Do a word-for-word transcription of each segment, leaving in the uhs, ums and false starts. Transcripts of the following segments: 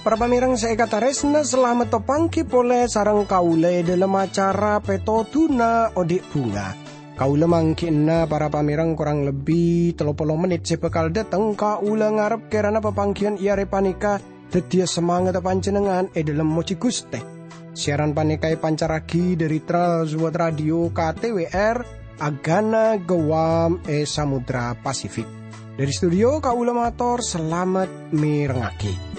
Para pamèrèng sè èkatarèsna, salamet apangghi polè sareng kaulâ è dhâlem acara Pètodhuna Odi' Bhunga. Kaulâ mangghi'na para pamèrèng korang lebbi tello polo mennit sè bhâkal dâteng. Kaulâ ngarep kèrana papangghiyân è arè panèka dhâddhiyâ samangatta panjhennengngan è dhâlem mojhi Ghustè. Siaran panèka èpancarraghi dhâri Trans World Radio K T W R, Agana Guam è Samudra Pasifik. Dhâri studio kaulâ mator salamet mèrengngaghi.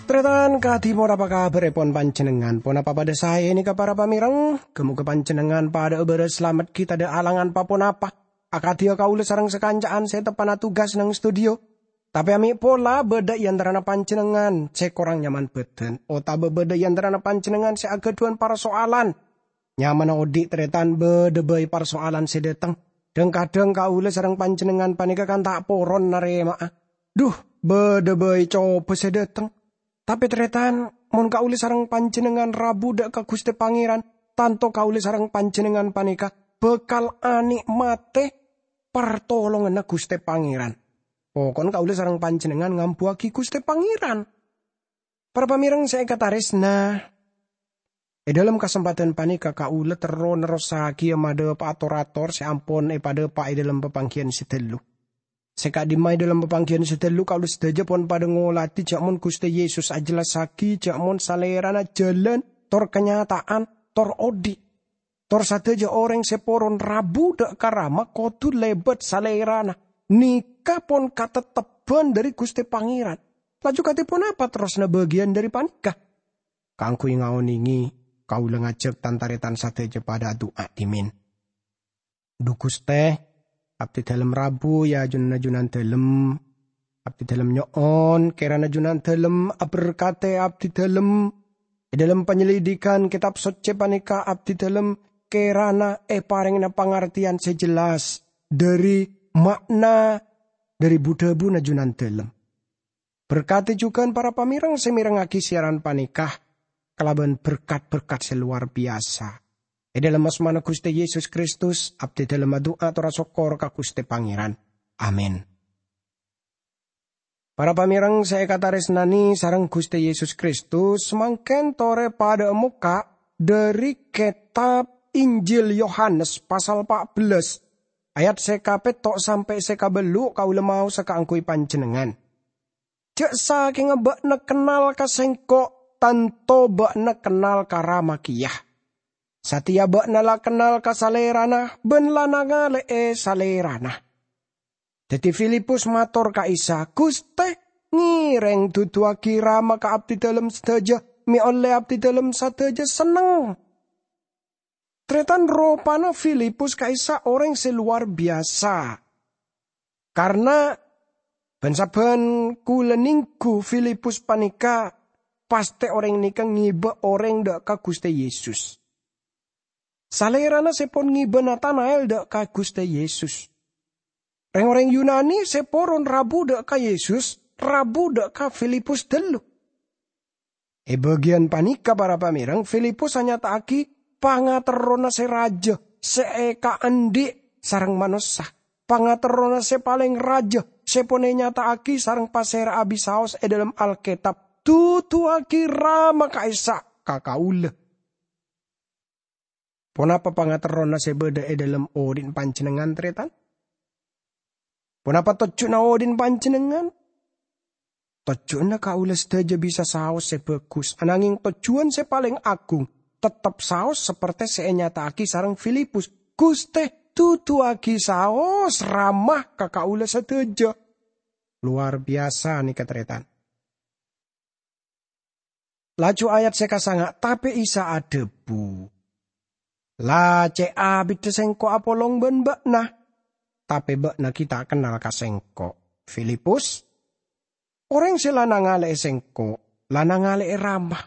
Tarètan kadhi, ponapa kabhârèpon panjhennengngan? Ponapa padâ saè nèka, para pamèrèng? Ghâ-moghâ panjhennengngan padâ'â bârâs salamet ghi' tadâ' alangan pa-ponapa. Akadhiyâ kaulâ sareng sakanca'an sè teppa'na tugas neng studio. Tapè amè' pola bâdâ è antarana panjhennengngan sè korang nyaman bhâdhân, otabâ bâdâ è antarana panjhennengngan sè aghâdhuwân parsoalan. Nyamana odi', tarètan, bâdâ bhâi parsoalan sè dâteng. Dhâng-kadhâng kaulâ sareng panjhennengngan panèka kan ta' poron narèma'a. Dhu, bâdâ bhâi cobhâ sè dâteng. Tapè, tarètan, mon kaulâ sareng panjhennengngan rabu dâ' ka Ghustè Pangèran, tanto kaulâ sareng panjhennengngan panèka bhâkal anè'matè partolonganna Ghustè Pangèran. Pokon kaulâ sareng panjhennengngan ngambuwâghi Ghustè Pangèran. Para pamèrèng sè èkatarèsna, è dhâlem kasempadhân panèka kaulâ terro nerrossaghiyâ madhâpa'a tor-ator sè ampon èpadhâpa' è dhâlem papangghiyân sè ghâllu. Sè ka'dimma è dhâlem papangghiyân sè ghâllu kaulâ sadhâjâ pon padâ ngolatè jhâ' mon Ghustè Yesus ajhellassaghi jhâ' mon Salèrana jhâlân, tor kanyata'an, tor odi'. Tor sadhâjâ orèng sè poron rabu dâ' ka Rama kodhu lèbât Salèrana. Nèka pon katettebhân dhâri Ghustè Pangèran. Laju kadhi ponapa terrosna bâgiyân dhâri panèka? Kaangghuy ngaonèngè, kaulâ ngajhâk tan-tarètan sadhâjâ padâ adu'a dhimèn. Dhu Ghustè, abdhidhâlem rabu è ajunanna Junandhâlem. Abdhidhâlem nyo'on, kèrana Junandhâlem aberkadhi abdhidhâlem. È dhâlem panyelidikan Kètab Soccè panèka, abdhidhâlem kèrana èparèngana pangartèyan sè jelas dhâri ma'na dhâri bu-dhâbuna Junandhâlem. Berkati jhughân para pamèrèng sè mèrengngaghi siaran panèka kalabân berkat-berkat sè lowar biyasa. È dhâlem asmana Ghustè Yesus Kristus, abdhidhâlem adu'a tor asokkor ka Ghustè Pangèran. Amin. Para pamèrèng sè èkatarèsnanè sareng Ghustè Yesus Kristus, samangkèn torè padâ'â mokka' dhâri Kètab Injil Yohanes pasal pa' bellâs, ayat sè kapètto' sampè' sè kabâllu' kaulâ maosa kaangghuy panjhennengngan. Jhâ' sakènga bâ'na kennal ka Sèngko', tanto bâ'na kennal ka Rama kèya. Satèya bâ'na la kennal ka Salèrana bân la nangalè'è Salèrana. Dhâddhi Filipus mator ka Isa, "Ghustè, ngèrèng duduwâghi Rama ka abdhidhâlem sadhâjâ, mè' ollè abdhidhâlem sadhâjâ senneng." Tarètan, ropana Filipus ka'issa' orèng sè lowar biyasa. Karna bân-sabbhân kulâ nèngghu Filipus panèka, pastè orèng nèka ngibâ orèng dâ' ka Ghustè Yesus. Salèrana sè pon ngibâ Natanael dâ' ka Ghustè Yesus. Rèng-orèng Yunani sè poron rabu dâ' ka Yesus, rabu dâ' ka Filipus ghâllu. È bâgiyân panèka, para pamèrèng, Filipus anyata'aghi pangaterrona sè rajâ, sè èkaandhi' sareng manossa. Pangaterrona sè palèng rajâ, sè pon ènyata'aghi sareng pasèra'a bisaos è dhâlem Alkètab, "Duduwâghi Rama ka'issa' ka kaulâ." Ponapa pangaterrona sè bâdâ è dhâlem odi'na panjhennengngan, tarètan? Ponapa tojjhuna odi'na panjhennengngan? Tojjhuna kaulâ sadhâjâ bisa saos sè bhâghus, ananghing tojjhuwân sè palèng agung, tettep saos saperte sè ènyata'aghi sareng Filipus, "Ghustè, duduwâghi saos Rama ka kaulâ sadhâjâ." Lowar biyasa nèka, tarètan. Laju ayat sè kasanga', tapè Isa adhâbu, "La cè' abiddhâ Sèngko' apolong bân bâ'na, tapè bâ'na ghi' ta' kennal ka Sèngko', Filipus. Orèng sè la nangalè'è Sèngko', la nangale'e Rama.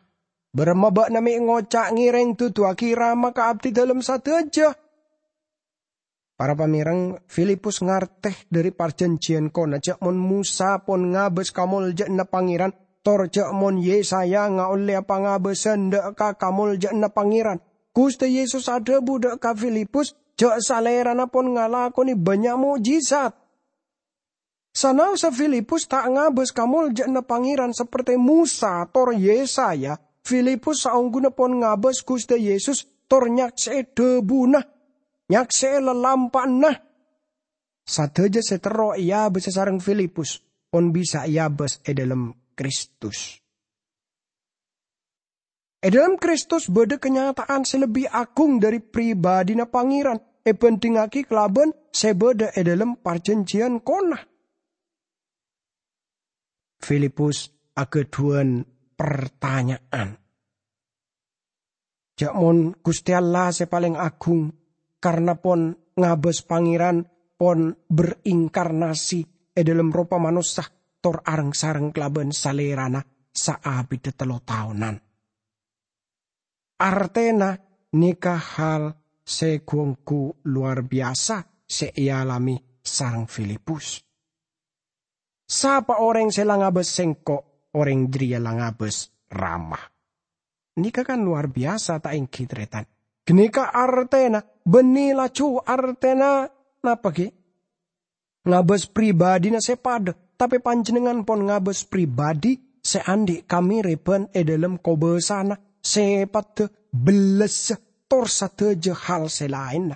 Baramma ba'na me' ngoca' ngereng duduwagi Rama ka abdidalem sadaja?" Para pamereng, Filipus ngarte dhari parjanjiyan kona ja' mon Mosa pon ngabas kamolja'anna Pangeran, tor ja' mon Yesaya ngaolle pangabassan dha' ka kamolja'anna Pangeran. Guste Yesus adhabu dha' ka Filipus ja' Salerana pon ngalakone bannya' mo'jizat. Sanaossa Filipus ta' ngabas kamolja'anna Pangeran saperte Mosa tor Yesaya, Filipus saongguna pon ngabas Guste Yesus tor nyakse'e dhabuna, nyakse'e lalampa'anna. Sadaja se terro eabasa sareng Filipus pon bisa eabas e dhalem Kristus. E dhalem Kristus badha kanyata'an se lebbi agung dhari pribadina Pangeran ebandhingngagi kalaban se badha e dhalem parjanjiyan kona. Filipus agadhuwan partanya'an. Ja' mon Guste Allah se paleng agung, karna pon ngabas Pangeran pon berinkarnasi e dhalem ropa manossa tor areng-sareng kalaban Salerana saabidda tello taonan. Artena neka hal se gu-onggu lowar biyasa se ealame sareng Filipus. "Sapa oreng se la ngabas Sengko', oreng jareya la ngabas Rama." Neka kan lowar biyasa, ta' enggi, taretan? Ganeka artena, banne laju artena napa, gi? Ngabas pribadina se padha, tape panjennengngan pon ngabas pribadi se andhi' kamereban e dhalem kobasana se padha, bellessa, tor sadaja hal se laenna.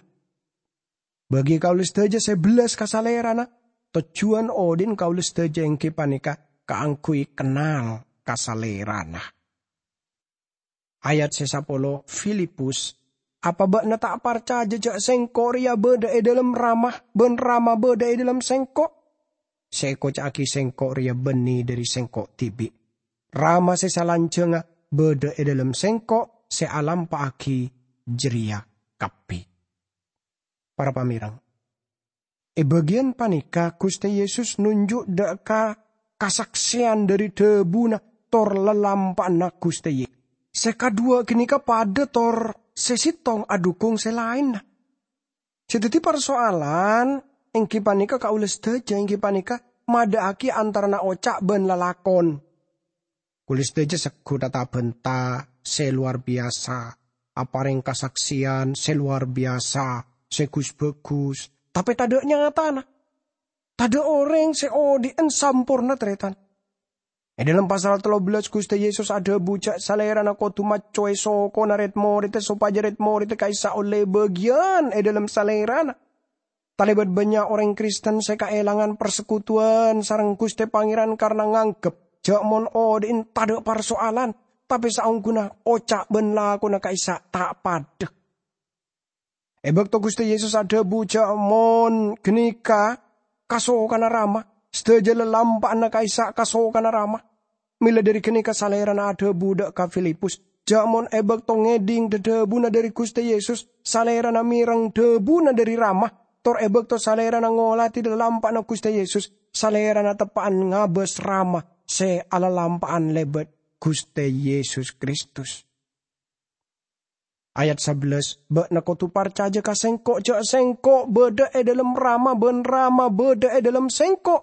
Bagi kaula sadaja se bellas ka Salerana, tojjuwan odhi'na kaula sadaja enggi paneka kaangguy kennal ka Salerana. Ayat se sapolo, Filipus, "Apa ba'na ta' parcaja ja' Sengko' reya badha e dhalem Rama, ban Rama badha e dhalem Sengko'? Se ekoca'agi Sengko' reya banne dhari Sengko' dibi'. Rama se salanjangnga badha e dhalem Sengko' se alampa'agi jareya kabbi." Para pamereng, e bagiyan paneka Guste Yesus nonjuk dha' ka kasakseyan dhari dhabuna tor lalampa'anna Guste Ye-, se kadhuwa ganeka padha tor se settong adhukung se laenna. Se daddi parsoalan enggi paneka kaula sadaja enggi paneka madha'agi antarana oca' ban lalakon. Kaula sadaja seggu ta-tabanta se lowar biyasa, apareng kasakseyan se lowar biyasa, se gus-bagus, tape tadha' nyatana. Tadha' oreng se odhi'an samporna, taretan. E dhalem pasal tello bellas, Guste Yesus adhabu ja' Salerana kodu maccowe sokona red-moredda sopaja red-moredda ka'issa' olle bagiyan e dhalem Salerana. Talebat bannya' oreng Kristen se kaelangan parsekutuwan sareng Guste Pangeran karna nganggep ja' mon odhi'na tadha' parsoalan, tape saongguna oca' ban lakona ka'issa' ta' padha. E bakto Guste Yesus adhabu ja' mon ganeka kasokanna Rama, sadaja lalampa'anna ka'issa' kasokanna Rama. Mella dhari ganeka Salerana adhabu dha' ka Filipus, ja' mon e bakto ngedhing dhadhabuna dhari Guste Yesus, Salerana mereng dhabuna dhari Rama, tor e bakto Salerana ngoladi lalampa'anna Guste Yesus, Salerana teppa'an ngabas Rama se alalampa'an lebat Guste Yesus Kristus. Ayat sabellas, "Ba'na kodu parcaja ka Sengko' ja' Sengko' badha e dhalem Rama ban Rama badha e dhalem Sengko'.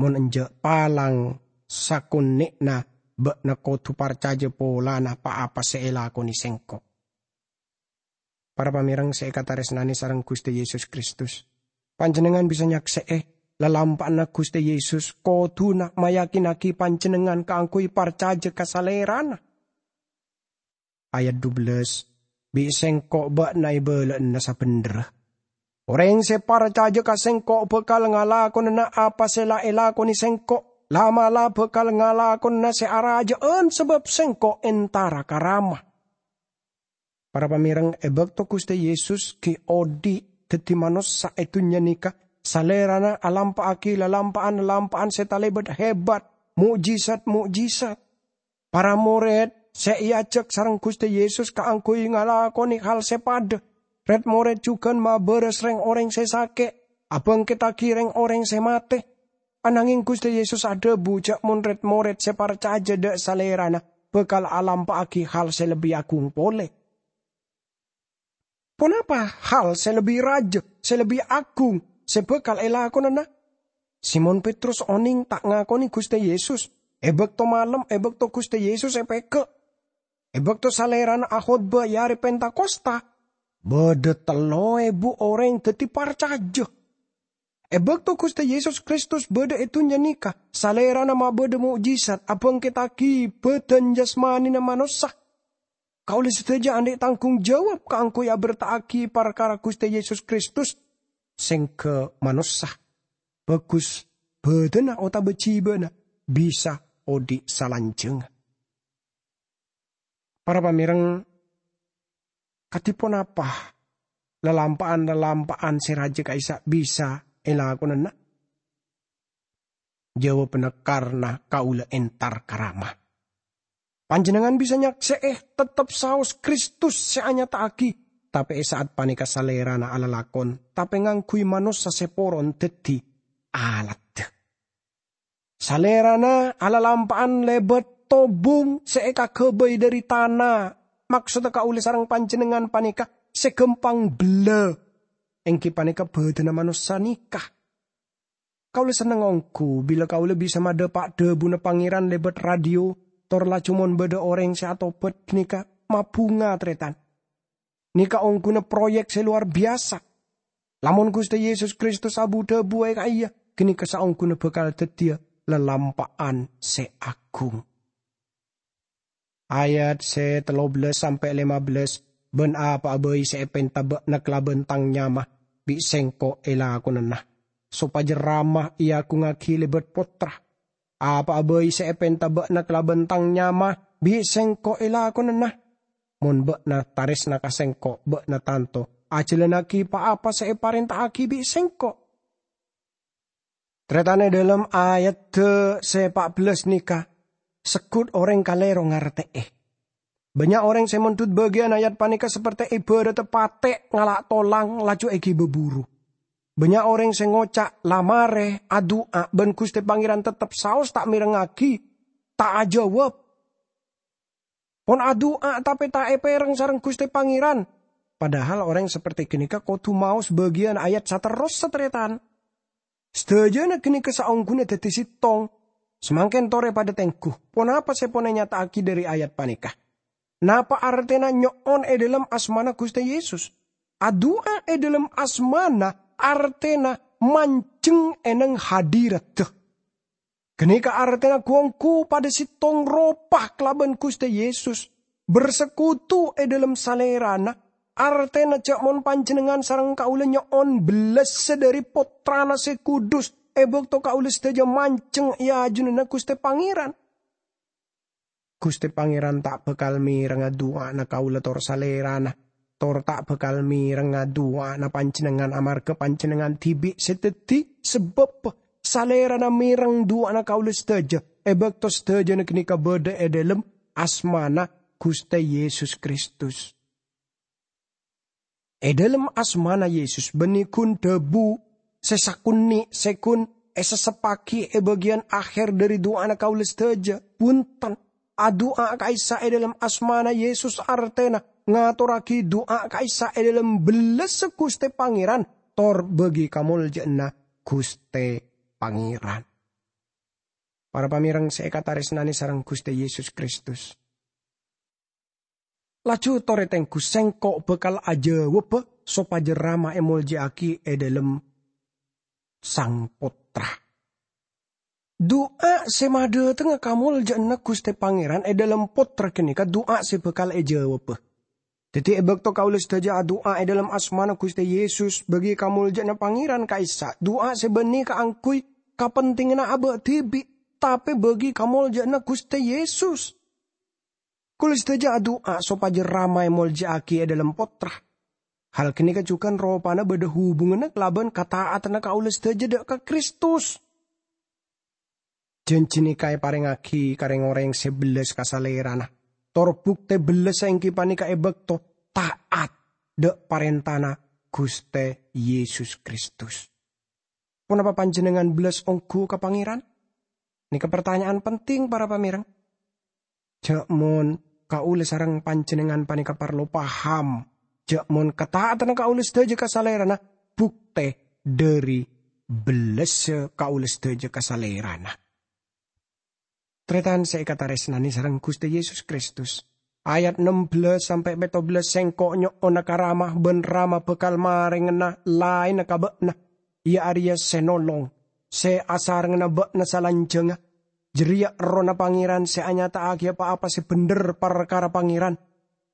Mon enja', palang sakonne'na ba'na kodu parcaja polana pa-apa se elakone Sengko'." Para pamereng se ekataresnane sareng Guste Yesus Kristus, panjennengngan bisa nyakse'e lalampa'anna Guste Yesus koduna mayakinnagi panjennengngan kaangguy parcaja ka Salerana. Ayat dubellas, "Bi' Sengko' ba'na ebala'ana sabendherra. Oreng se parcaja ka Sengko' bakal ngalakonana apa se la elakone Sengko', la'-mala' bakal ngalakonana se araja'an sabab Sengko' entara ka Rama." Para pamereng, e bakto Guste Yesus gi' odhi' daddi manossa e dunnya neka, Salerana alampa'agi lalampa'an-lalampa'an se talebat hebat, mo'jizat-mo'jizat. Para mored se eajak sareng Guste Yesus kaangguy ngalakone hal se padha. Red-mored jugan mabaras reng-oreng se sake', abangkettagi reng-oreng se mate. Anangeng Guste Yesus adhabu ja' mon red-mored se parcaja dha' Salerana bakal alampa'agi hal se lebbi agung pole. Ponapa hal se lebbi raja, se lebbi agung, se bakal elakonana? Simon Petrus oneng ta' ngakone Guste Yesus. E bakto malem, e bakto Guste Yesus epega', e bakto Salerana akhotba e are Pentakosta, badha tello ebu oreng daddi parcaja. E bakto Guste Yesus Kristus badha e dunnya neka, Salerana mabadha mo'jizat abangkettagi badan jasmanina manossa. Kaula sadaja andhi' tanggung jawab kaangguy aberta'agi parkara Guste Yesus Kristus, sengga manossa, bagus badanna otaba jibana bisa odhi' salanjangnga. Para pamereng, kadi ponapa lalampa'an-lalampa'an se raja ka'issa' bisa elakonana? Jawabanna, karna kaula entar ka Rama. Panjennengngan bisa nyakse'e tettep saos Kristus se anyata'agi, tape e sa'at paneka Salerana alalakon, tape ngangguy manossa se poron daddi aladda. Salerana alalampa'an lebat tobung se ekagabay dhari tana. Maksodda kaula sareng panjennengngan paneka se gampang bella, enggi paneka badanna manossa neka. Kaula senneng onggu bila kaula bisa madhapa' dhabuna Pangeran lebat radio, tor laju mon badha oreng se atobat ganeka mabunga, taretan. Neka ongguna proyek se lowar biyasa. Lamon Guste Yesus Kristus abu-dhabu e ka'iyya, ganeka saongguna bakal daddiya lalampa'an se agung. Ayat se tello bellas sampe' lema bellas, "Ban apa'a bai se epenta ba'na kalaban Tang nyama, bi' Sengko' elakonana, sopaja Rama eagungngagi lebat Pottra. Apa'a bai se epenta ba'na kalaban Tang nyama, bi' Sengko' elakonana. Mon ba'na taresna ka Sengko', ba'na tanto ajalannagi pa-apa se eparenta'agi bi' Sengko'." Taretan, e dhalem ayadda se pa' bellas neka, seggut oreng kalero ngarte'e. Bannya' oreng se mondhut bagiyan ayat paneka saperte ebaradda pate' ngala' tolang laju egiba buru. Bannya' oreng se ngoca', "La mare adu'a ban Guste Pangeran tettep saos ta' merengngagi, ta' ajawab. Pon adu'a tape ta' epereng sareng Guste Pangeran." Padahal oreng saperte ganeka kodu maos bagiyan ayat saterrossa, taretan. Sadajana ganeka saongguna daddi settong. Samangken tore padha tenggu, ponapa se pon enyata'agi dhari ayat paneka? Napa artena nyo'on e dhalem asmana Guste Yesus? Adu'a e dhalem asmana artena manjeng e neng hadiratta. Ganeka artena gu-onggu padha settong ropa kalaban Guste Yesus, bersekutu e dhalem Salerana, artena ja' mon panjennengngan sareng kaula nyo'on bellassa dhari Pottrana se kudus e bakto kaula sadaja manjeng e ajunanna Guste Pangeran. Guste Pangeran ta' bakal merengnga du'ana kaula tor Salerana, tor ta' bakal merengnga du'ana panjennengngan amarga panjennengngan dibi' se daddi sabab Salerana mereng du'ana kaula sadaja e bakto sadajana ganeka badha e dhalem asmana Guste Yesus Kristus. E dhalem asmana Yesus banne gun dhabu se sakonne' se gun esesseppagi e bagiyan aher dhari du'ana kaula sadaja. Bunten, adu'a ka'issa' e dhalem asmana Yesus artena ngatorragi du'a ka'issa' e dhalem bellassa Guste Pangeran tor bagi kamolja'anna Guste Pangeran. Para pamereng se ekataresnane sareng Guste Yesus Kristus. Laju tore tenggu sengko' bakal ajawabba sopaja Rama emolja'agi e dhalem Sang Pottra. Du'a se madhatengnga kamolja'anna Guste Pangeran e dhalem Pottra ganeka du'a se bakal ejawabba. Daddi, e bakto kaula sadaja adu'a e dhalem asmana Guste Yesus, bagi kamolja'anna Pangeran ka'issa', du'a se banne kaangguy kapentinganna aba' dibi', tape bagi kamolja'anna Guste Yesus. Kaula sadaja adu'a sopaja Rama emolja'agi e dhalem Pottra. Hal ganeka jugan ropana badha hubunganna kalaban kata'atanna kaula sadaja dha' ka Kristus. Janji neka eparengngagi ka reng-oreng se bellas ka Salerana, tor bukte bellassa enggi paneka e bakto ta'at dha' parentana Guste Yesus Kristus. Ponapa panjhennengngan bellas ongghu ka Pangèran? Nèka partanya'an penting, para pamèreng. Jhâ' mon kaulâ sareng panjhennengngan panèka parlo paham, jhâ' mon kata'atanna kaulâ sadhâjâ ka Salèrana, bhuktè dhâri bellassa kaulâ sadhâjâ ka Salèrana. Tarètan sè èkatarèsnanè sareng Ghustè Yesus Kristus, ayat nem bellâs sampè' pètto bellâs, "Sèngko' nyo'ona ka Rama, bân Rama bhâkal marèngana laènna ka bâ'na, iyâ arèya sè nolong, sè asarengngana bâ'na salanjhângnga." Jârèya Errohna Pangèran sè anyata'aghiyâ pa-apa sè bhendher parkara Pangèran.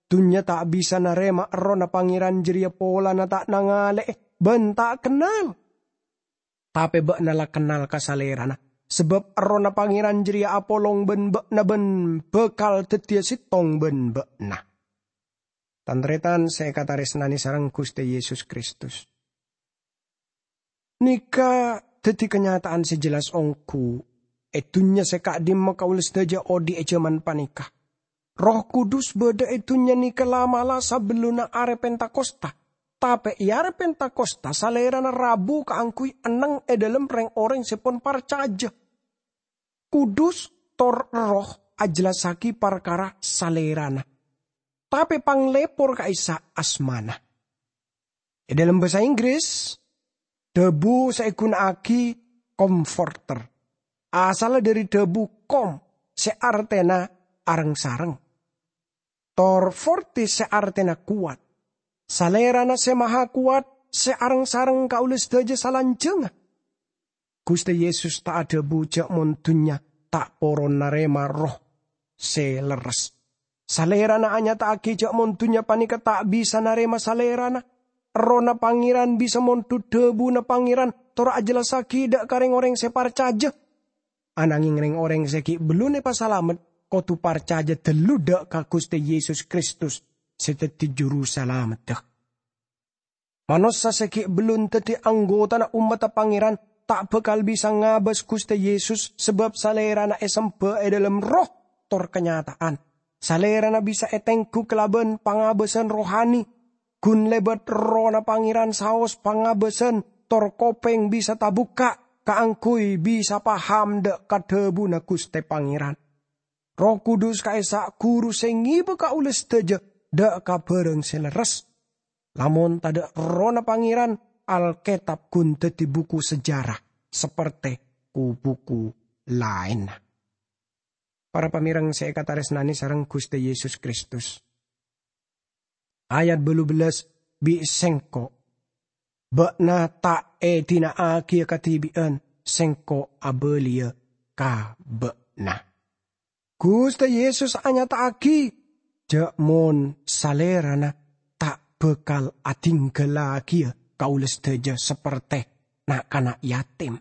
Dhunnya ta' bisa narèma Errohna Pangèran jârèya polana ta' nangalè'è bân ta' kennal. Tapè bâ'na la kennal ka Salèrana, sabâb Errohna Pangèran jârèya apolong bân bâ'na bân bhâkal dhâddhiyâ sèttong bân bâ'na. Tan-tarètan sè èkatarèsnanè sareng Ghustè Yesus Kristus, nèka dhâddhi kanyata'an sè jelas ongghu è dhunnya sè ka'dimma kaulâ sadhâjâ odi' è jhâman panèka. Erroh Kudus bâdâ è dhunnya nèka la'-mala' sabellunna Arè Pentakosta. Tapè è Arè Pentakosta, Salèrana rabu kaangghuy enneng è dhâlem rèng-orèng sè pon parcajâ. Kudus tor Erroh ajellassaghi parkara Salèrana. Tapè panglèpor ka'issa' asmana. È dhâlem bhâsa Inggris, dhâbu sè èghuna'aghi comforter asalla dhâri dhâbu com sè artèna areng-sareng, tor forte sè artèna kowat. Salèrana sè maha kowat sè areng-sareng kaulâ sadhâjâ salanjhângnga. Ghustè Yesus ta' adhâbu jhâ' mon dhunnya ta' poron narèma Erroh sè lerres. Salèrana anyata'aghi jhâ' mon dhunnya panèka ta' bisa narèma Salèrana. Errohna Pangèran bisa mondhut dhâbuna Pangèran tor ajellassaghi dhâ' ka rèng-orèng sè parcajâ. Ananghing rèng-orèng sè ghi' bellun èpasalamet kodhu parcajâ dâllu dhâ' ka Ghustè Yesus Kristus sè dhâddhi Juru Salamedda. Manossa sè ghi' bellun dhâddhi anggotana ommadda Pangèran ta' bhâkal bisa ngabâs Ghustè Yesus, sabâb Salèrana èsemba è dhâlem Erroh tor kanyata'an. Salèrana bisa ètèngghu kalabân pangabâsan rohani. Ghun lèbât Errohna Pangèran saos pangabâsan, tor kopèng bisa tabukka' kaangghuy bisa paham dhâ' ka dhâbuna Ghustè Pangèran. Erroh Kudus ka'issa' ghuru sè ngèbâ kaulâ sadhâjâ dhâ' ka bhârâng sè lerres. Lamon tadhâ' Errohna Pangèran, Alkètab ghun dhâddhi buku sejarah saperte ku-buku laènna. Para pamèreng sè èkatarèsnanè sareng Ghustè Yesus Kristus. Ayat bâllu bellâs, "Bi' Sèngko' bâ'na ta' èdina'aghiyâ kadhibi'ân, Sèngko' abâliyâ ka bâ'na." Ghustè Yesus anyata'aghi jhâ' mon Salèrana ta' bhâkal adhinggâllaghiyâ kaulâ sadhâjâ saperte na'-kana' yatim.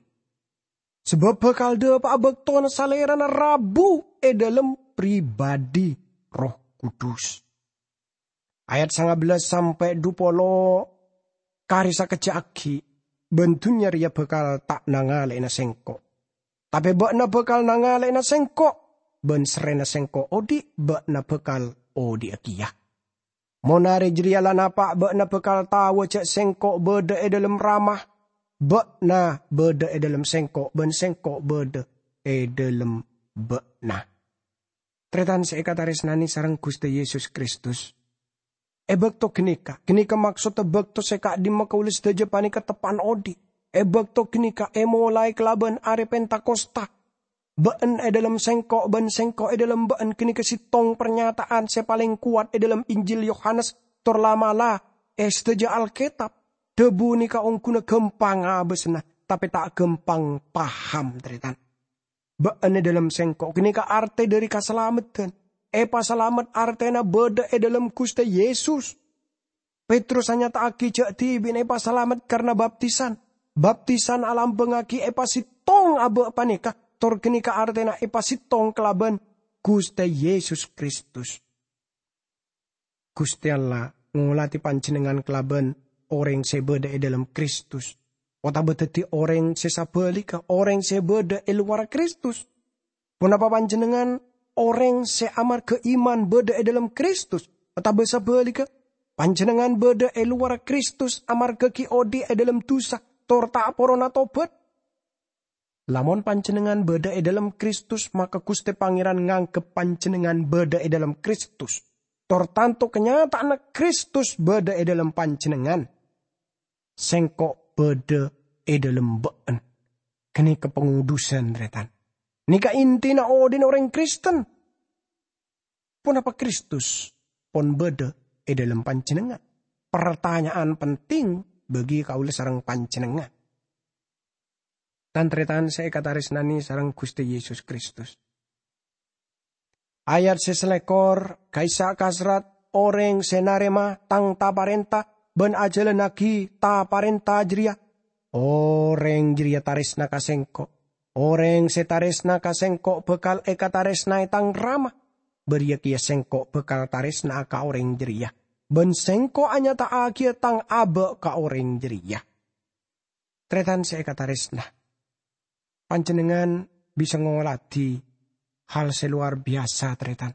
Sabâb bhâkal dhâpa'a bâktona Salèrana rabu è dhâlem pribadhi Erroh Kudus. Ayat sanga bellâs sampè' dhu polo, "Karè sakejjhâ' aghi', bân dhunnya rèya bhâkal ta' nangalè'ana Sèngko'. Tapè bâ'na bhâkal nangalè'ana Sèngko', bân sarrèna Sèngko' odi', bâ'na bhâkal odi'â kèya. Mon arè jârèya la napa', bâ'na bhâkal taowa jhâ' Sèngko' bâdâ è dhâlem Rama, bâ'na bâdâ è dhâlem Sèngko', bân Sèngko' bâdâ è dhâlem bâ'na." Tarètan sè èkatarèsnanè sareng Ghustè Yesus Kristus. È bâkto ghânèka, ghânèka maksoddhâ bâkto sè ka'dimma kaulâ sadhâjâ panèka teppa'na odi'. È bâkto ghânèka èmolaè kalabân Arè Pentakosta. "Bâ'ân è dhâlem Sèngko', bân Sèngko' è dhâlem bâ'ân" ghânèka sèttong parnyata'an sè palèng kowat è dhâlem Injil Yohanes, tor la'-mala' è sadhâjâ Alkètab. Dhâbu nèka ongghuna ghâmpang abâsana, tapè ta' ghâmpang paham, tarètan. "Bâ'ân è dhâlem Sèngko'" ghânèka artè dhâri kasalameddhân. Èpasalamet artèna bâdâ è dhâlem Ghustè Yesus. Petrus anyata'aghi jhâ' dhibi'na èpasalamet karna baptisan. Baptisan alambângaghi èpasèttong abâ' panèka, tor ghânèka artèna èpasèttong kalabân Ghustè Yesus Kristus. Ghustè Allah ngolatè panjhennengngan kalabân orèng sè bâdâ è dhâlem Kristus, otabâ dhâddhi orèng sè sabhâligghâ, orèng sè bâdâ è lowarra Kristus. Ponapa panjhennengngan orèng sè amarghâ iman bâdâ è dhâlem Kristus, otabâ sabhâligghâ, panjhennengngan bâdâ è lowarra Kristus amarghâ ghi' odi' è dhâlem dhusa, tor ta' porona tobhât? Lamon panjhennengngan bâdâ è dâlem Kristus, maka Ghustè Pangèran nganggep panjhennengngan bâdâ è dâlem Kristus. Tor tanto kanyata'anna Kristus bâdâ è dâlem panjhennengngan. Sèngko' bâdâ è dâlem bâ'na. Ghânèka pangodhusan, tarètan. Nèka intina odhi'na orèng Kristen. Ponapa Kristus pon bâdâ è dâlem panjhennengngan? Partanya'an penting bagi kaulâ sareng panjhennengngan. Tan-tarètan sè èkatarèsnanè sareng Ghustè Yesus Kristus. Ayat sè salèkor, ka'issa' kaserrat, "Orèng sè narèma Tang ta-parènta bân ajhâlânnaghi ta-parènta jârèya, orèng jârèya tarèsna ka Sèngko'. Orèng sè tarèsna ka Sèngko' bhâkal èkatarèsnaè Tang Rama, bâriyâ kèya Sèngko' bhâkal tarèsna'a ka orèng jârèya, bân Sèngko' anyata'aghiyâ Tang abâ' ka orèng jârèya." Tarètan sè èkatarèsna, panjhennengngan bisa ngoladhi hal sè lowar biyasa, tarètan.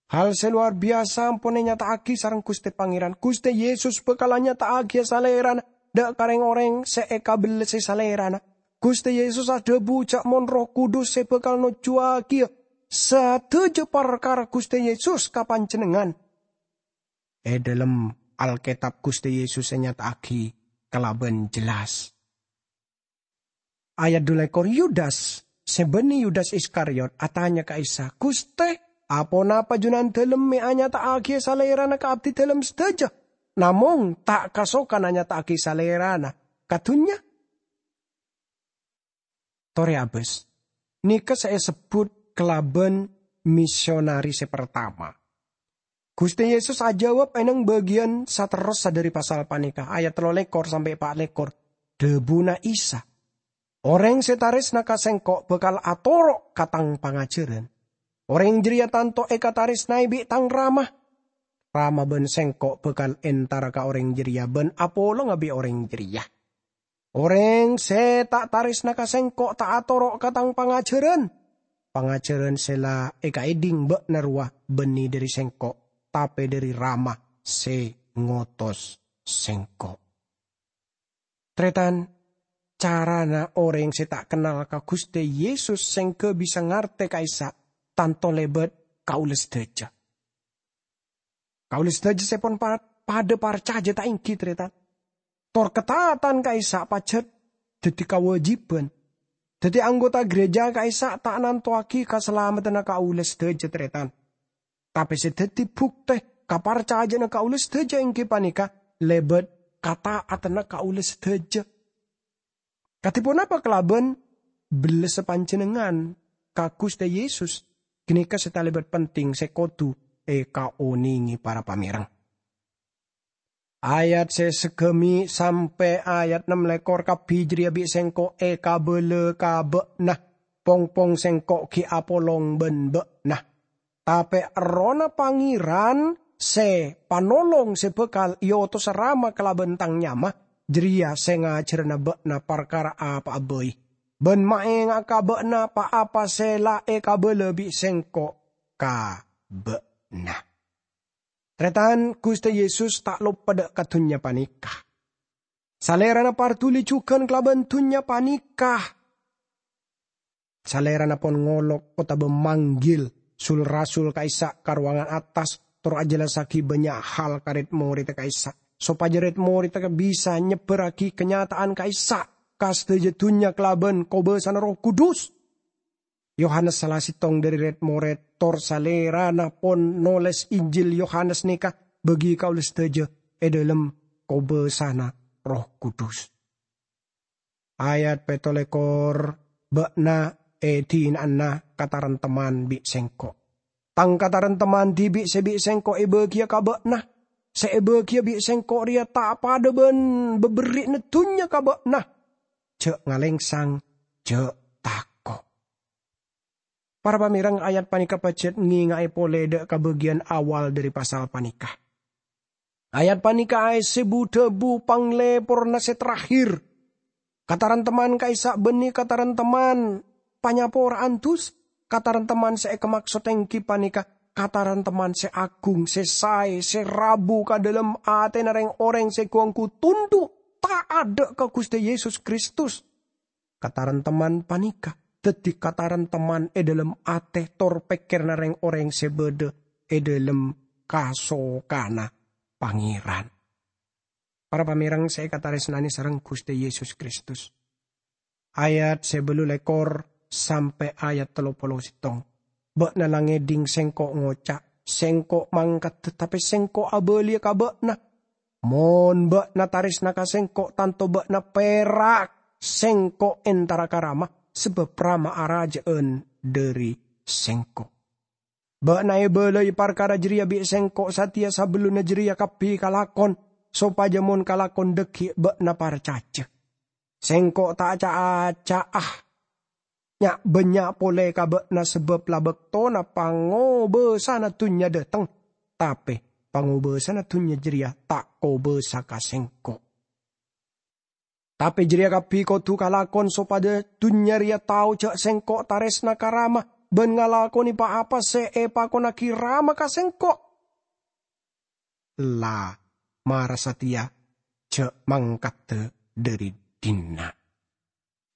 Hal sè lowar biyasa ampon ènyata'aghi sareng Ghustè Pangèran. Ghustè Yesus bhâkal anyata'aghiyâ Salèrana dâ' ka rèng-orèng sè èkabellesè Salèrana. Ghustè Yesus adhâbu jhâ' mon Erroh Kudus sè bhâkal nojjhuwâghiyâ sadhâjâ parkara Ghustè Yesus ka panjhennengngan. È dâlem Alkètab Ghustè Yesus ènyata'aghi kalabân jelas. Ayat dulekor, Yudas, sè bânnè Yudas Iskariot, atanya ka Isa, "Ghustè, aponapa Junandâlem mè' anyata'aghiyâ Salèrana ka abdidâlem sadhâjâ, namong ta' kasokan anyata'aghi Salèrana ka dhunnya?" Torè abâs. Nèka sè èsebbhut kalabân misionari sè partama. Ghustè Yesus ajâwâb è nèng bâgiyân saterrossa dhâri pasal panèka, ayat tello lèkor sampè' pa' lèkor. Dhâbuna Isa, "Orèng sè tarèsna ka Sèngko' bhâkal atoro' ka Tang pangajhârân. Orèng jârèya tanto èkatarèsnaè bi' Tang Rama. Rama bân Sèngko' bhâkal entara ka orèng jârèya bân apolonga bi' orèng jârèya. Orèng sè ta' tarèsna ka Sèngko' ta' atoro' ka Tang pangajhârân. Pangajhârân sè la èkaèdhing bâ'na rowa bânnè dhâri Sèngko', tapè dhâri Rama sè ngotos Sèngko'." Tarètan, carana orèng sè ta' kennal ka Ghustè Yesus sèngghâ bisa ngartè ka'issa' tanto lèbât kaulâ sadhâjâ. Kaulâ sadhâjâ sè pon pa-, padâ parcajâ ta' èngghi, tarètan? Tor kataatan ka'issa' pajhât dhâddhi kawâjibhân. Dhâddhi anggota ghârèjâ ka'issa' ta' nantowaghi kasalameddhânna kaulâ sadhâjâ, tarètan. Tapè sè dhâddhi bhuktè kaparcajâ'ânna kaulâ sadhâjâ èngghi panèka lèbât kataatanna kaulâ sadhâjâ. Kadhi ponapa kalabân bellessa panjhennengngan ka Ghustè Yesus? Ghânèka sè talèbât penting sè kodhu èkaonèngè para pamèreng. Ayat sè saghâmè' sampè' ayat nem lèkor kabbhi jârèya bi' Sèngko' èkabâlâ ka bâ'na. Pong-pong Sèngko' ghi' apolong bân bâ'na. Tapè Errohna Pangèran sè Panolong sè bhâkal èotosa Rama kalabân Tang nyama, jârèya sè ngajhârâna bâ'na parkara apa'a bhâi, bân maènga'a ka bâ'na pa-apa sè la èkabâlâ bi' Sèngko' ka bâ'na. Tarètan, Ghustè Yesus ta' loppa dâ' ka dhunnya panèka. Salèrana parduli jhughân kalabân dhunnya panèka. Salèrana pon ngolok otabâ manggil sul-rasul ka'issa' ka rowangan attas, tor ajhellassaghi bânnya' hal ka rèd-morèdda ka'issa', sopajâ rèd-morèdda bisa nyebbhârraghi kanyata'an ka'issa' ka sadhâjâ dhunnya kalabân kobâsana Erroh Kudus. Yohanes sala sèttong dhâri rèd-morèd, tor Salèrana pon nolès Injil Yohanes nèka bâgi kaulâ sadhâjâ è dâlem kobâsana Erroh Kudus. Ayat pètto lèkor, "Bâ'na èdina'ana kataremtemman bi' Sèngko'. Tang kataremtemman dhibi' sè bi' Sèngko' èbâgiyâ ka bâ'na. Sè èbâgiyâ bi' Sèngko' rèya ta' padâ bân bâberri'na dhunnya ka bâ'na. Jhâ' ngalèngsang, jhâ' tako'." Para pamèreng, ayat panèka pajhât ngènga'è polè dâ' ka bâgiyân awal dhâri pasal panèka. Ayat panèka aèssè bu-dhâbu panglèporna sè terakhir. Kataremtemman ka'issa' bânnè kataremtemman panyapora'an dusa. Kataremtemman sè èkamaksod èngghi panèka kataremtemman sè agung, sè saè, sè rabu ka dâlem atèna rèng-orèng sè ghu-ongghu tondhu' ta' adâ' ka Ghustè Yesus Kristus. Kataranteman panèka dhâddhi kataranteman è dhâlem atè tor pèkkèranna rèng-orèng sè bâdâ è dhâlem kasokana Pangèran. Para pamèreng sè èkatarèsnanè sareng Ghustè Yesus Kristus. Ayat sè bâllu lèkor sampè' ayat tello polo sèttong. Bâ'na la ngèdhing Sèngko' ngoca', "Sèngko' mangkaddhâ, tapè Sèngko' abâliyâ ka bâ'na." Mon bâ'na tarèsna ka Sèngko', tanto bâ'na pèra' Sèngko' entara ka Rama, sabâb Rama arajâ'ân dhâri Sèngko'. Bâ'na èbâlâi parkara jârèya bi' Sèngko' satèya sabellunna jârèya kabbhi kalakon, sopajâ mon kalakon dhâggi' bâ'na parcajâ. Sèngko' ta' ca'-aca'a nya'-bânnya' polè ka bâ'na sabâb la bâktona pangobâsana dhunnya dhâteng, tapè pangobâsana dhunnya jârèya ta' kobâsa ka Sèngko'. Tapè jârèya kabbhi kodhu kalakon sopajâ dhunnya rèya tao jâ' Sèngko' tarèsna ka Rama bân ngalakonè pa-apa sè èpakonnaghi Rama ka Sèngko'. La mara satèya jâ' mangkaddhâ dhâri dinna'.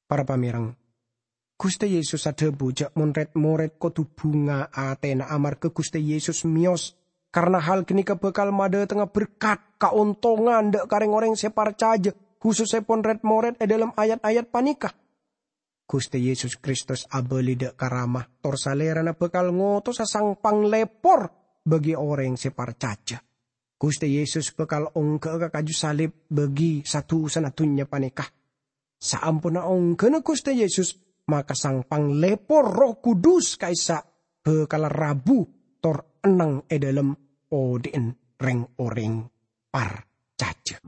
Para pamèreng, Ghustè Yesus adhâbu jâ' mon rèd-morèd kodhu bhunga atèna amarghâ Ghustè Yesus mèyos, karna hal ghânèka bhâkal madhâtengnga berkat, kaontongan dhâ' ka rèng-orèng sè parcajâ, khusussèpon rèd-morèd è dhâlem ayat-ayat panèka. Ghustè Yesus Kristus abâli dhâ' ka Rama, tor Salèrana bhâkal ngotosa Sang Panglèpor bagi orèng sè parcajâ. Ghustè Yesus bhâkal ongghâ'â ka kaju salib bagi sa-dusana dhunnya panèka. Saamponna ongghâna Ghustè Yesus, maka Sang Panglèpor Erroh Kudus ka'issa' bhâkal rabu tor enneng è dhâlem odi'na rèng-orèng parcajâ.